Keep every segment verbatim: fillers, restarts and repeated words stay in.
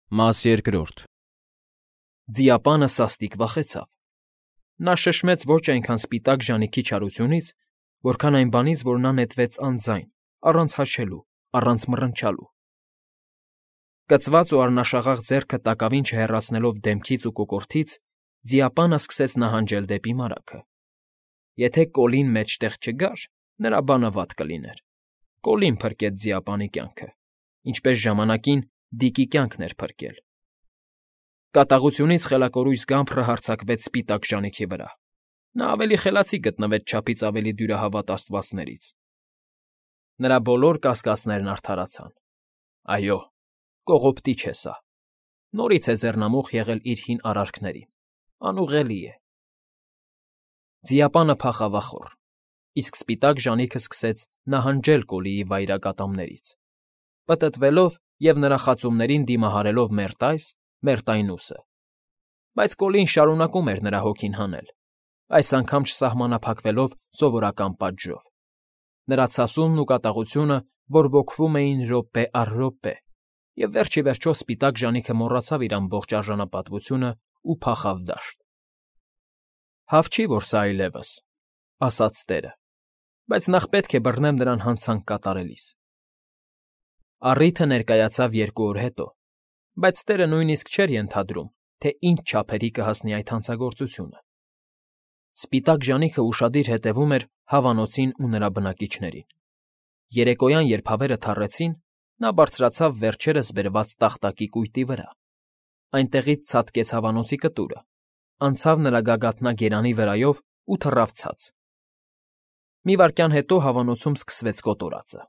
Մաս երկրորդ Ձիապանը սաստիկ վախեցավ։ Նա շշմեց ոչ այնքան սպիտակ ժանիքի չարությունից, որքան այն բանից, որ նա նետվեց անձայն, առանց հաշելու, առանց մռնչալու։ Կծված ու առնաշաղախ ձեռքը տակավին չհեռացնելով դեմքից ու կոկորդից, ձիապանը սկսեց նահանջել դեպի մարագը։ Եթե Կոլին մեջտեղ չգար, նրա բանը վատ կլիներ։ Կոլին փրկեց ձիապանի կյանքը, ինչպես ժամանակին Դիկի կյանքն էր փրկել։ Կատաղությունից խելակորույս Գամփրը հարձակվեց սպիտակ ժանիքի վրա։ Նա ավելի խելացի գտնվեց չափից ավելի դյուրահավատ աստվածներից։ Նրա բոլոր կասկածներն արդարացան։ Այո, կողոպտիչ է սա։ Նորից է ձեռնամուխ եղել իր հին արարքներին։ Անուղղելի է։ Ձիապանը փախավախոր, իսկ սպիտակ ժանիքը սկսեց նահանջել Կոլիի վայրակատամներից, պտտվելով և նրա խածումներին դիմահարելով մերթ այս, մերթ այն ուսը։ Բայց Կոլին շարունակում էր նրա հոգին հանել, այս անգամ չսահմանափակվելով սովորական պատժով։ Նրա ցասումն ու կատաղությունը բորբոքվում էին րոպե առ րոպե, և վերջ ի վերջո սպիտակ ժանիքը մոռացավ իր ամբողջ արժանապատվությունն ու փախավ դաշտ։ «Հավ չի, որ սա այլևս,֊ ասաց Տերը,֊ բայց նախ պետք է բռնեմ նրան հանցանք կատարելիս»։ Առիթը ներկայացավ երկու օր հետո, բայց Տերը նույնիսկ չէր ենթադրում, թե ինչ չափերի կհասնի այդ հանցագործությունը։ Սպիտակ ժանիքը ուշադիր հետևում էր հավանոցին ու նրա բնակիչներին։ Երեկոյան, երբ հավերը թառեցին, նա բարձրացավ վերջերս բերված տախտակի կույտի վրա, այնտեղից ցատկեց հավանոցի կտուրը, անցավ նրա գագաթնա գերանի վրայով ու թռավ ցած։ Մի վայրկյան հետո հավանոցում սկսվեց կոտորածը։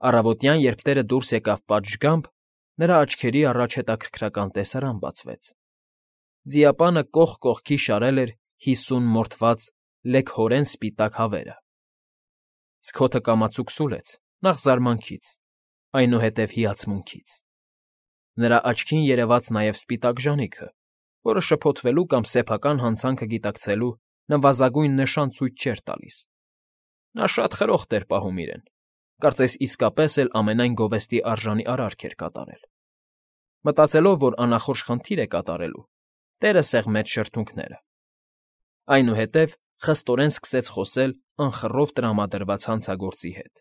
Առավոտյան, երբ Տերը դուրս եկավ պատշգամբ, նրա աչքերի առաջ հետաքրքրական տեսարան բացվեց։ Ձիապանը կողք կողքի շարել էր հիսուն մորթված լեգհորեն սպիտակ հավերը։ Սքոթը կամացուկ սուլեց, նախ զարմանքից, այնուհետև հիացմունքից։ Նրա աչքին երևաց նաև սպիտակ ժանիքը, որը շփոթվելու կամ սեփական հանցանքը գիտակցելու նվազագույն նշան ցույց չէր տալիս։ Նա շատ խրոխտ էր պահում իրեն, կարծես իսկապես էլ ամենայն գովեստի արժանի արարք էր կատարել։ Մտածելով, որ անախորժ խնդիր է կատարելու, Տերը սեղմեց շրթունքները։ Այնուհետև խստորեն սկսեց խոսել անխռով տրամադրված հանցագործի հետ,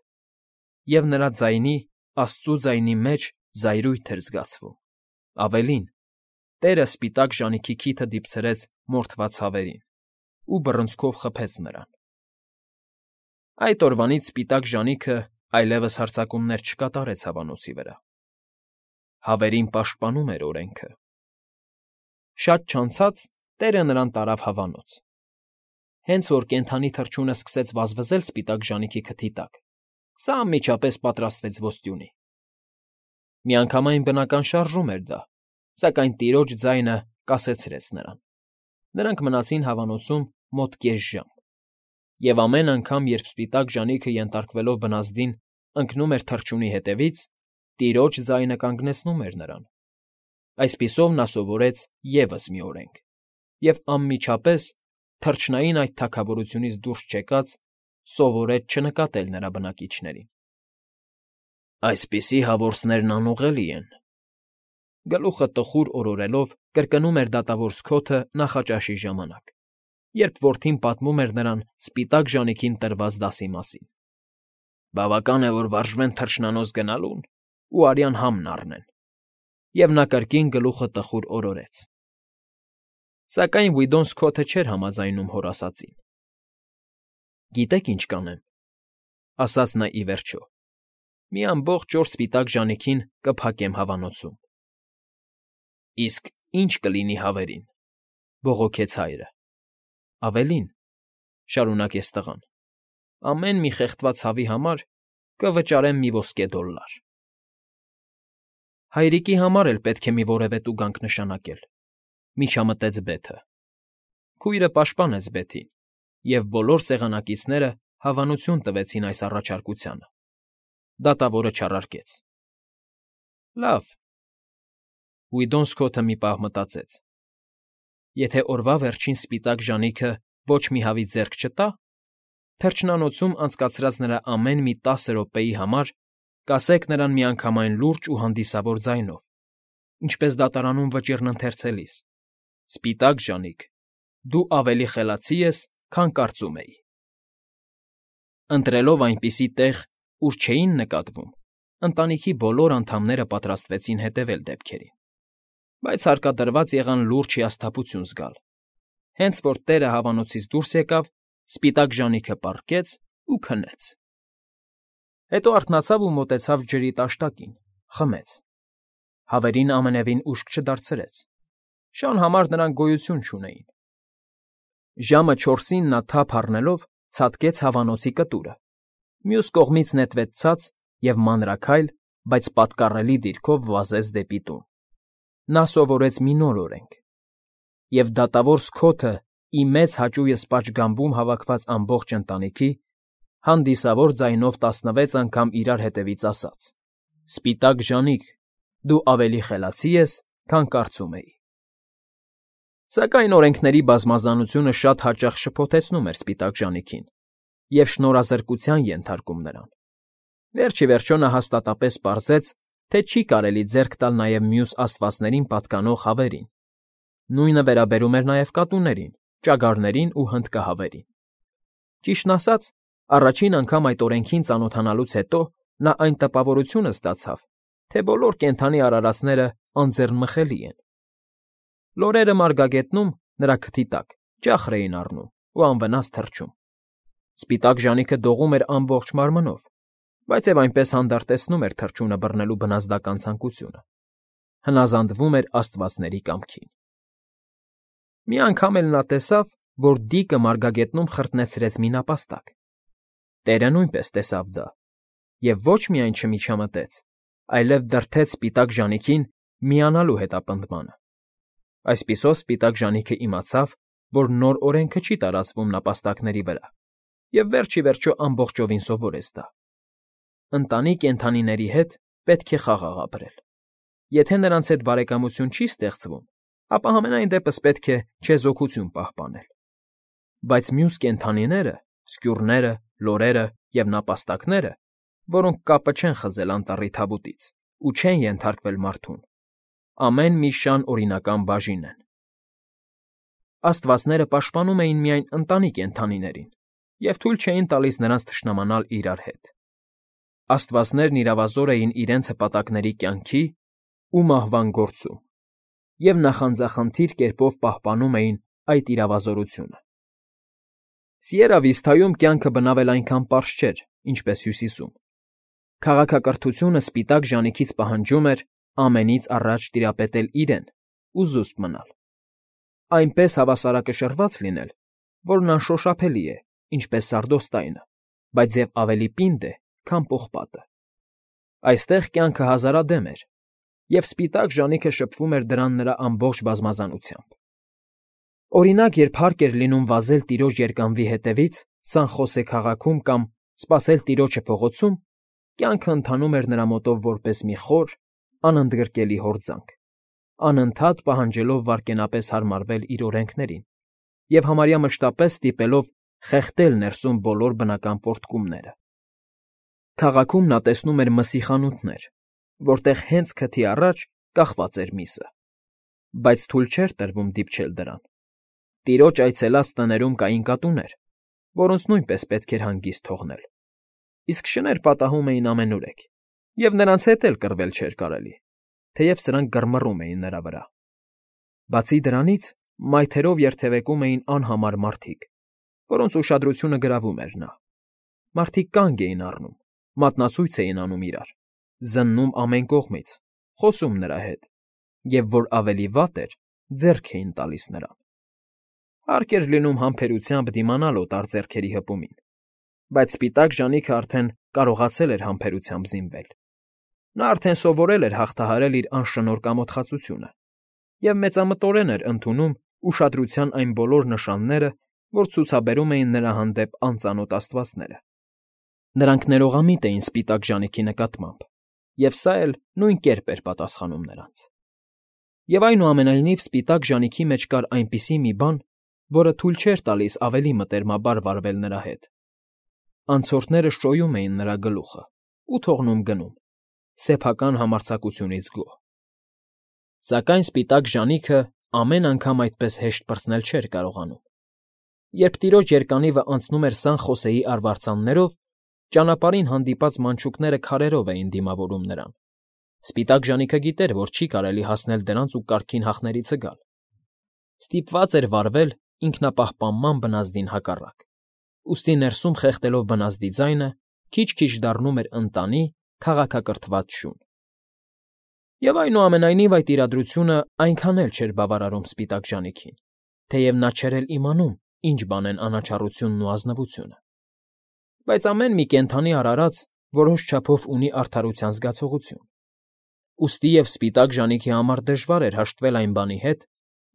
և նրա ձայնի, աստծու ձայնի մեջ զայրույթ էր զգացվում։ Ավելին, Տերը սպիտակ ժանիքի քիթը դիպցրեց մորթված հավերին ու բռնցքով խփեց նրան։ Այդ օրվանից սպիտակ ժանիքը այլևս հարձակումներ չկատարեց հավանոցի վրա։ Հավերին պաշտպանում էր օրենքը։ Շատ չանցած Տերը նրան տարավ հավանոց։ Հենց որ կենդանի թռչունը սկսեց վազվզել սպիտակ ժանիքի քթի տակ, սա անմիջապես պատրաստվեց ոստյունի։ Միանգամայն բնական շարժում էր դա, սակայն տիրոջ ձայնը կասեցրեց նրան։ Նրանք մնացին հավանոցում մոտ կես ժամ, և ամեն անգամ, երբ սպիտակ ժանիքը ենթարկվելով վնասդին ընկնում էր թռչունի հետևից, տիրոջ ձայնը կանգնեցնում էր նրան։ Այսպիսով նա սովորեց ևս մի օրենք և անմիջապես, թռչնային այդ թագավորությունից դուրս չեկած, սովորեց չնկատել նրա բնակիչներին։ «Այսպիսի հավորսներն անուղղելի են,֊ գլուխը տխուր օրորելով կրկնում էր դատավոր Սքոթը նախաճաշի ժամանակ, երբ որդին պատմում էր նրան սպիտակ ժանիքին տրված դասի մասին։ Բավական է, որ վարժվեն թռչնանոց գնալուն ու արյան համն առնեն…» Եվ նա կրկին գլուխը տխուր օրորեց։ Սակայն Վիդոն Սքոթը չէր համաձայնում հոր ասածին։ «Գիտեք ինչ կանեմ,֊ ասաց նա ի վերջո,֊ մի ամբողջ օր սպիտակ ժանիքին կփակեմ հավանոցում»։ «Իսկ ի՞նչ կլինի հավերին,֊ բողոքեց հայրը։ «Ավելին,֊ շարունակեց տղան,֊ ամեն մի խեղդված հավի համար կվճարեմ մի ոսկե դոլլար»։ Հայրիկի համար էլ պետք է մի որևէ տուգանք նշանակել,֊ միջամտեց Բեթը։ Քույրը պաշտպանեց Բեթին, և բոլոր սեղանակիցները հավանություն տվեցին այս առաջարկությանը։ Դատավորը չարարկեց։ «Լավ,֊ Վիդոն Սքոթը մի պահ մտածեց,֊ եթե օրվա վերջին սպիտակ ժանիքը ոչ մի հավի ձեռք չտա, թռչնանոցում անցկացրած նրա ամեն մի տասը րոպեի համար կասեք նրան միանգամայն լուրջ ու հանդիսավոր ձայնով, ինչպես դատարանում վճիռն ընթերցելիս. «Սպիտակ ժանիք, դու ավելի խելացի ես, քան կարծում էի»։ Ընտրելով այնպիսի տեղ, ուր չէին նկատվում, ընտանիքի բոլոր անդամները պատրաստվեցին հետևել դեպքերին, բայց հարկադրված եղան լուրջ հիասթափություն զգալ։ Հենց որ տերը հավանոցից դուրս եկավ, սպիտակ ժանիքը պառկեց ու քնեց։ Հետո արթնացավ ու մոտեցավ ջրի տաշտակին, խմեց։ Հավերին ամենևին ուշք չդարձրեց։ Շան համար նրանք գոյություն չունեին։ Ժամը չորսին նա թափ առնելով ցատկեց հավանոցի կտուրը, մյուս կողմից նետվեց ցած և մանրաքայլ, բայց պատկառելի դիրքով վազեց դեպի տուն։ Նա սովորեց մի նոր օրենք. և դատավոր Սքոթը ի մեծ հաճույս պատշգամբում հավաքված ամբողջ ընտանիքի, հանդիսավոր ձայնով տասնվեց անգամ իրար հետևից ասաց. «Սպիտակ ժանիք, դու ավելի խելացի ես, քան կարծում էի»։ Սակայն օրենքների բազմազանությունը շատ հաճախ շփոթեցնում էր սպիտակ ժանիքին և շնորհազրկության ենթարկում նրան։ Վերջ ի վերջո նա հաստատապես պարզեց, թե չի կարելի ձեռք տալ նաև մյուս աստվածներին պատկանող հավերին։ Նույնը վերաբերում էր նաև կատուներին, ճագարներին ու հնդկահավերին։ Ճիշտն ասած, առաջին անգամ այդ օրենքին ծանոթանալուց հետո նա այն տպավորությունը ստացավ, թե բոլոր կենդանի արարածները անձեռնմխելի են։ Լորերը մարգագետնում, նրա քթի տակ, ճախր էին առնում ու անվնաս թռչում։ Սպիտակ ժանիքը դողում էր ամբողջ մարմնով, բայց և այնպես հանդարտեցնում էր թռչունը բռնելու բնազդական ցանկությունը, հնազանդվում էր աստվածների կամքին։ Մի անգամ էլ նա տեսավ, որ դիկը մարգագետնում խրտնեցրեց մի նապաստակ։ Տերը նույնպես տեսավ դա և ոչ միայն չմիջամտեց, այլև դրդեց սպիտակ ժանիքին միանալու հետապնդմանը։ Այսպիսով սպիտակ ժանիքը իմացավ, որ նոր օրենքը չի տարածվում նապաստակների վրա, և վերջ ի վերջո ամբողջովին սովորեց դա։ Ընտանի կենդանիների հետ պետք է խաղաղ ապրել։ Եթե նրանց հետ բարեկամություն չի ստեղծվում, ապա համենայն դեպս պետք է չեզոքություն պահպանել։ Բայց մյուս կենդանիները, սկյուռները, լորերը և նապաստակները, որոնք կապը չեն խզել անտառի թավուտից ու չեն ենթարկվել մարդուն, ամեն մի շան օրինական բաժին են։ Աստվածները պաշտպանում էին միայն ընտանի կենդանիներին և թույլ չէին տալիս նրանց թշնամանալ իրար հետ։ Աստվածներն իրավազոր էին իրենց հպատակների կյանքի ու մահվան գործում և նախանձախնդիր կերպով պահպանում էին այդ իրավազորությունը։ Սիերա Վիստայում կյանքը բնավել այնքան պարզ չէր, ինչպես Հյուսիսում։ Քաղաքակրթությունը սպիտակ ժանիքից պահանջում էր ամենից առաջ տիրապետել իրեն ու զուսպ մնալ, այնպես հավասարակշռված լինել, որն անշոշափելի է, ինչպես սարդոստայնը, բայց և ավելի պինդ է, քան պողպատը։ Այստեղ կյանքը հազարադեմ էր, և սպիտակ ժանիքը շփվում էր դրան նրա ամբողջ բազմազանությամբ։ Օրինակ, երբ հարկ էր լինում վազել տիրոջ երկանվի հետևից Սան Խոսե քաղաքում կամ սպասել տիրոջը փողոցում, կյանքը ընթանում էր նրա մոտով որպես մի խոր, անընդգրկելի հորձանք, անընդհատ պահանջելով վայրկենապես հարմարվել իր օրենքներին և համարյա մշտապես ստիպելով խեղդել ներսում բոլոր բնական պոռթկումները։ Քաղաքում նա տեսնում էր մսի խանութներ, որտեղ հենց քթի առաջ կախված էր միսը, բայց թույլ չէր տրվում դիպչել դրան։ Տիրոջ այցելած տներում կային կատուներ, որոնց նույնպես պետք էր հանգիստ թողնել, իսկ շներ պատահում էին ամենուրեք, և նրանց հետ էլ կռվել չէր կարելի, թեև սրանք գրմռում էին նրա վրա։ Բացի դրանից, մայթերով երթևեկում էին անհամար մարդիկ, որոնց ուշադրությունը գրավում էր նա։ Մարդիկ կանգ էին առնում, մատնացույց էին անում իրար, զննում ամեն կողմից, խոսում նրա հետ և, որ ավելի վատ էր, ձեռք էին տալիս նրան։ Հարկ էր լինում համբերությամբ դիմանալ օտար ձեռքերի հպումին, բայց սպիտակ ժանիքը արդեն կարողացել էր համբերությամբ զինվել։ Նա արդեն սովորել էր հաղթահարել իր անշնոր կամոթխածությունը և մեծամտորեն էր ընդունում ուշադրության այն բոլոր նշանները, որ ցուցաբերում էին նրա հանդեպ անծանոթ աստվածները։ Նրանք ներողամիտ էին սպիտակ ժանիքի նկատմամբ, և սա էլ նույն կերպ էր պատասխանում նրանց։ Եվ այնուամենայնիվ սպիտակ ժանիքի մեջ կար այնպիսի մի բան, որը թույլ չէր տալիս ավելի մտերմաբար վարվել նրա հետ։ Անցորդները շոյում էին նրա գլուխը ու թողնում գնում, սեփական համարձակությունից գոհ։ Սակայն սպիտակ ժանիքը ամեն անգամ այդպես հեշտ պրծնել չէր կարողանում։ Երբ տիրոջ երկանիվը անցնում էր Սան Խոսեի արվարձաններով, ճանապարհին հանդիպած մանչուկները քարերով էին դիմավորում նրան։ Սպիտակ ժանիքը գիտեր, որ չի կարելի հասնել դրանց ու կարգին հախներից գալ։ Ստիպված էր վարվել ինքնապահպանման բնազդին հակառակ։ Ուստի ներսում խեղդելով բնազդի ձայնը, քիչ-քիչ դառնում էր ընտանի, քաղաքակրթված շուն։ Եվ այնուամենայնիվ այդ իրադրությունը այնքան էլ չէր բավարարում սպիտակ ժանիքին, թեև նա չէր էլ իմանում, ինչ բան են անաչառությունն ու ազնվությունը։ Բայց ամեն մի կենդանի արարած որոշ չափով ունի արդարության զգացողություն։ Ուստի և սպիտակ ժանիքի համար դժվար էր հաշտվել այն բանի հետ,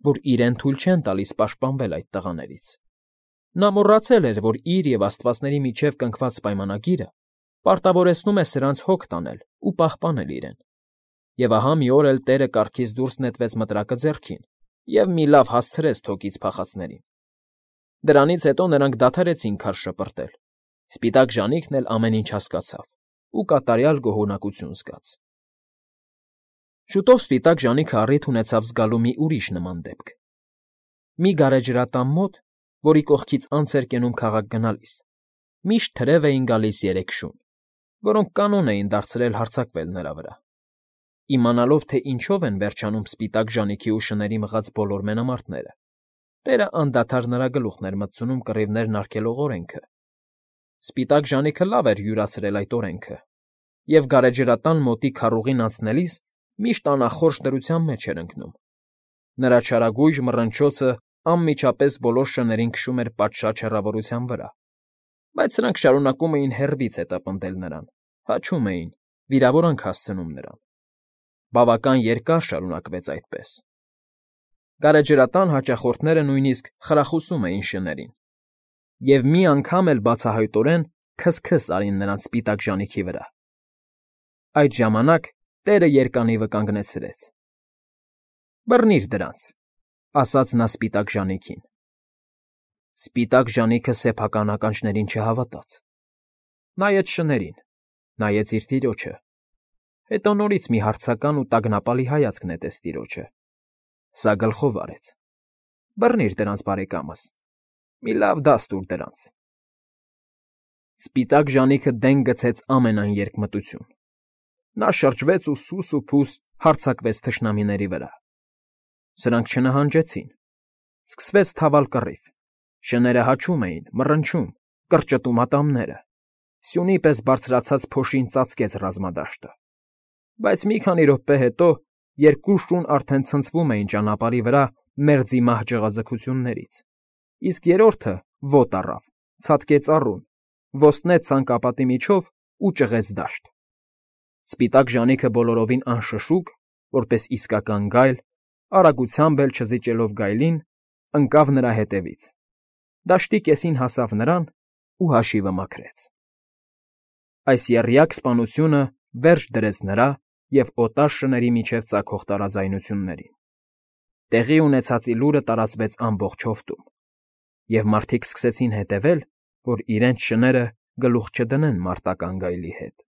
որ իրեն թույլ չեն տալիս պաշտպանվել այդ տղաներից։ Նա մոռացել էր, որ իր և աստվածների միջև կնքված պայմանագիրը պարտավորեցնում է սրանց հոգ տանել ու պահպանել իրեն։ Եվ ահա մի օր էլ Տերը կառքից դուրս նետվեց մտրակը ձեռքին և մի լավ հասցրեց թոկից փախածներին։ Դրանից հետո նրանք դադարեցին քարշ շպրտել, սպիտակ ժանիքն էլ ամեն ինչ հասկացավ ու կատարյալ գոհունակություն զգաց։ Շուտով սպիտակ ժանիքը առիթ ունեցավ զգալու մի ուրիշ նման դեպք։ Մի գարեջրատան մոտ, որի կողքից անց էր կենում քաղաք գնալիս, միշտ թրև էին գալիս երեք շուն, որոնք կանոն էին դարձրել հարձակվել նրա վրա։ Իմանալով, թե ինչով են վերջանում սպիտակ ժանիքի ու շների մղած բոլոր մենամարտները, Տերը անդադար նրա գլուխն էր մտցնում կռիվներն արգելող օրենքը։ Սպիտակ ժանիքը լավ էր յուրացրել այդ օրենքը, և գարեջրատան մոտի քառուղին անցնելիս միշտ անախորժ դրության մեջ էր ընկնում։ Նրա չարագույժ մռնչոցը անմիջապես բոլոր շներին քշում էր պատշաճ հեռավորության վրա, բայց սրանք շարունակում էին հեռվից հետապնդել նրան, հաչում էին, վիրավորանք հասցնում նրան։ Բավական երկար շարունակվեց այդպես։ Գարեջրատան հաճախորդները նույնիսկ խրախուսում էին շներին, և մի անգամ էլ բացահայտորեն քս֊քս արին նրանց սպիտակ ժանիքի վրա։ Այդ ժամանակ Տերը երկանիվը կանգնեցրեց։ ֊ Բռնիր դրանց, ֊ ասաց նա սպիտակ ժանիքին։ Սպիտակ ժանիքը սեփական ականջներին չհավատաց։ Նայեց շներին, նայեց իր տիրոջը, հետո նորից մի հարցական ու տագնապալի հայացք նետեց տիրոջը։ Սա գլխով արեց։ ֊ Բռնիր դրանց, բարեկամս, մի լավ դաս տուր դրանց։ Սպիտակ ժանիքը դեն գցեց ամենայն երկմտություն։ Նա շրջվեց ու սուս ու փուս հարձակվեց թշնամիների վրա։ Սրանք չնահանջեցին։ Սկսվեց թավալ կռիվ։ Շները հաչում էին, մռնչում, կրճտում ատամները։ Սյունի պես բարձրացած փոշին ծածկեց ռազմադաշտը։ Բայց մի քանի րոպե հետո երկու շուն արդեն ցնցվում էին ճանապարհի վրա մերձի մահ ջղաձգություններից, իսկ երրորդը ոտ առավ, ցատկեց առուն, ոստնեց ցանկապատի միջով ու ճղեց դաշտ։ Սպիտակ ժանիքը բոլորովին անշշուկ, որպես իսկական գայլ, արագությամբ էլ չզիջելով գայլին, ընկավ նրա հետևից, դաշտի կեսին հասավ նրան ու հաշիվը մաքրեց։ Այս եռյակ սպանությունը վերջ դրեց նրա և օտար շների միջև ծագող տարաձայնություններին։ Տեղի ունեցածի լուրը տարածվեց ամբողջ հովտում, և մարդիկ սկսեցին հետևել, որ իրենց շները գլուխ չդնեն մարտական գայլի հետ։